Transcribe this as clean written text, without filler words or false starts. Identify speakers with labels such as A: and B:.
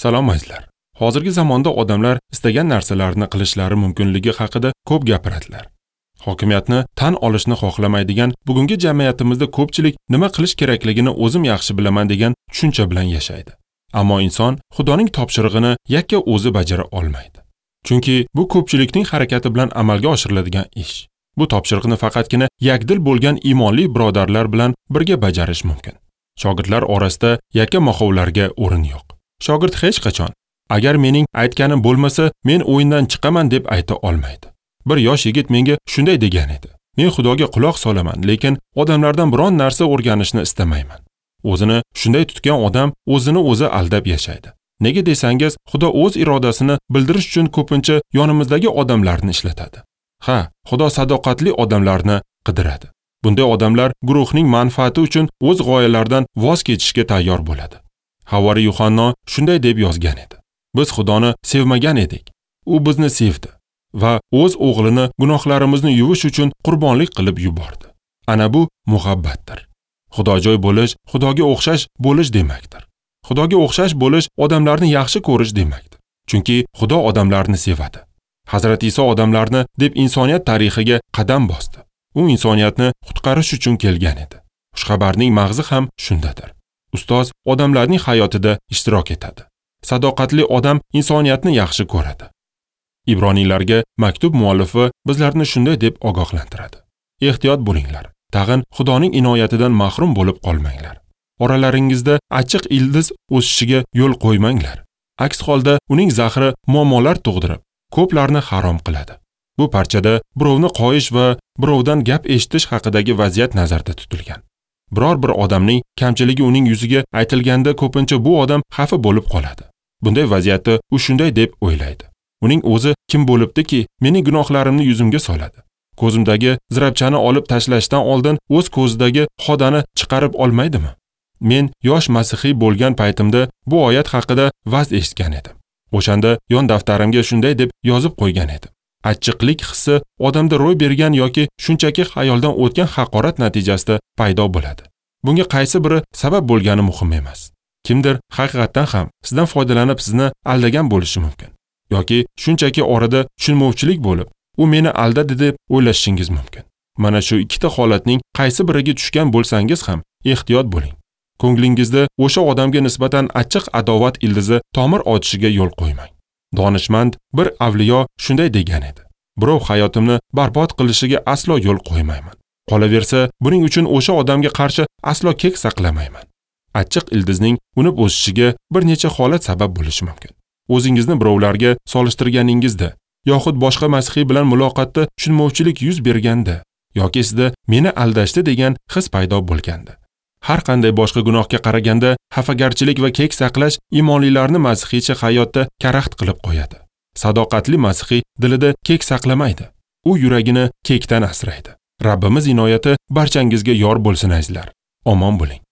A: Salom azizlar. Hozirgi zamonda odamlar istagan narsalarni qilishlari mumkinligi haqida ko'p gapiradilar. Hokimiyatni tan olishni xohlamaydigan bugungi jamiyatimizda ko'pchilik nima qilish kerakligini o'zim yaxshi bilaman degan tushuncha bilan yashaydi. Ammo inson Xudoning topshirig'ini yakka o'zi bajara olmaydi. Chunki bu ko'pchilikning harakati bilan amalga oshiriladigan ish. Bu topshiriqni faqatgina yakdil bo'lgan iymonli birodarlar bilan birga bajarish mumkin. Shogirdlar orasida yakka moxovlarga o'rin yo'q. Shogird hech qachon agar mening aytganim bo'lmasa, men o'yindan chiqaman deb ayta olmaydi. Bir yosh yigit menga shunday degan edi. Men Xudoga quloq solaman, lekin odamlardan biron narsa o'rganishni istamayman. O'zini shunday tutgan odam o'zini o'zi aldab yashaydi. Nega desangiz, Xudo o'z irodasini bildirish uchun ko'pincha yonimizdagi odamlarni ishlatadi. Ha, Xudo sadoqatli odamlarni qidiradi. Bunday odamlar guruhning manfaati uchun o'z g'oyalaridan voz kechishga tayyor bo'ladi. Havori Yuhanno shunday deb yozgan edi. Biz Xudoni sevmagan edik. U bizni sevdi va o'z o'g'lini gunohlarimizni yuvish uchun qurbonlik qilib yubordi. Ana bu muhabbatdir. Xudojo'y bo'lish, Xudoga o'xshash bo'lish demakdir. Xudoga o'xshash bo'lish odamlarni yaxshi ko'rish demakdir. Chunki Xudo odamlarni sevadi. Hazrat Iso odamlarni deb insoniyat tarixiga qadam bosdi. U insoniyatni qutqarish uchun kelgan edi. Xushxabarning mag'zi ham shundadir. Ustoz odamlarning hayotida ishtirok etadi. Sadoqatli odam insoniyatni yaxshi ko'radi. Ibroniylarga maktub muallifi bizlarni shunday deb ogohlantiradi. Ehtiyot bo'linglar. Tag'in Xudoning inoyatidan mahrum bo'lib qolmanglar. Oralaringizda achchiq ildiz o'sishiga yo'l qo'ymanglar. Aks holda uning zahri muammolar tug'dirib, ko'plarni harom qiladi. Bu parchada birovni qoyish va birovdan gap eshitish haqidagi vaziyat nazarda tutilgan. Biror bir odamning kamchiligi uning yuziga aytilganda ko'pincha bu odam xafa bo'lib qoladi. Bunday vaziyatda u shunday deb o'ylaydi. Uning o'zi kim bo'libdiki, mening gunohlarimni yuzimga soladi. Ko'zimdagi zirabchani olib tashlashdan oldin o'z ko'zidagi xodani chiqarib olmaydimi? Men yosh masihiy bo'lgan paytimda bu oyat haqida va'z eshitgan edim. O'shanda yon daftarimga shunday deb yozib qo'ygan edim. Achchiqlik hissi odamda ro'y bergan yoki shunchaki xayoldan o'tgan haqorat natijasida paydo bo'ladi. Bunga qaysi biri sabab bo'lgani muhim emas. Kimdir haqiqatdan ham sizdan foydalanib sizni aldagan bo'lishi mumkin. Yoki shunchaki orada tushunmovchilik bo'lib, u meni aldadi deb o'ylashingiz mumkin. Mana shu ikkita holatning qaysi biriga tushgan bo'lsangiz ham ehtiyot bo'ling. Ko'nglingizda o'sha odamga nisbatan achchiq adovat ildizi tomir otishiga yo'l qo'ymang. Donishmand bir avliyo shunday degan edi. Birov hayotimni barbod qilishiga aslo yo'l qo'ymayman. Qolaversa, buning uchun o'sha odamga qarshi aslo kek saqlamayman. Achchiq ildizning unib o'sishiga bir necha holat sabab bo'lishi mumkin. O'zingizni birovlarga solishtirganingizda yoxud boshqa masihiy bilan muloqotda tushunmovchilik yuz berganda yoki sizda meni aldashdi degan his paydo bo'lganda. Har qanday boshqa gunohga qaraganda xafagarchilik va kek saqlash iymonlilarni masihiycha hayotda karaxt qilib qo'yadi. Sadoqatli masihiy dilida kek saqlamaydi. U yuragini kekdan asraydi. Rabbimiz inoyati barchangizga yor bo'lsin azizlar. Omon bo'ling.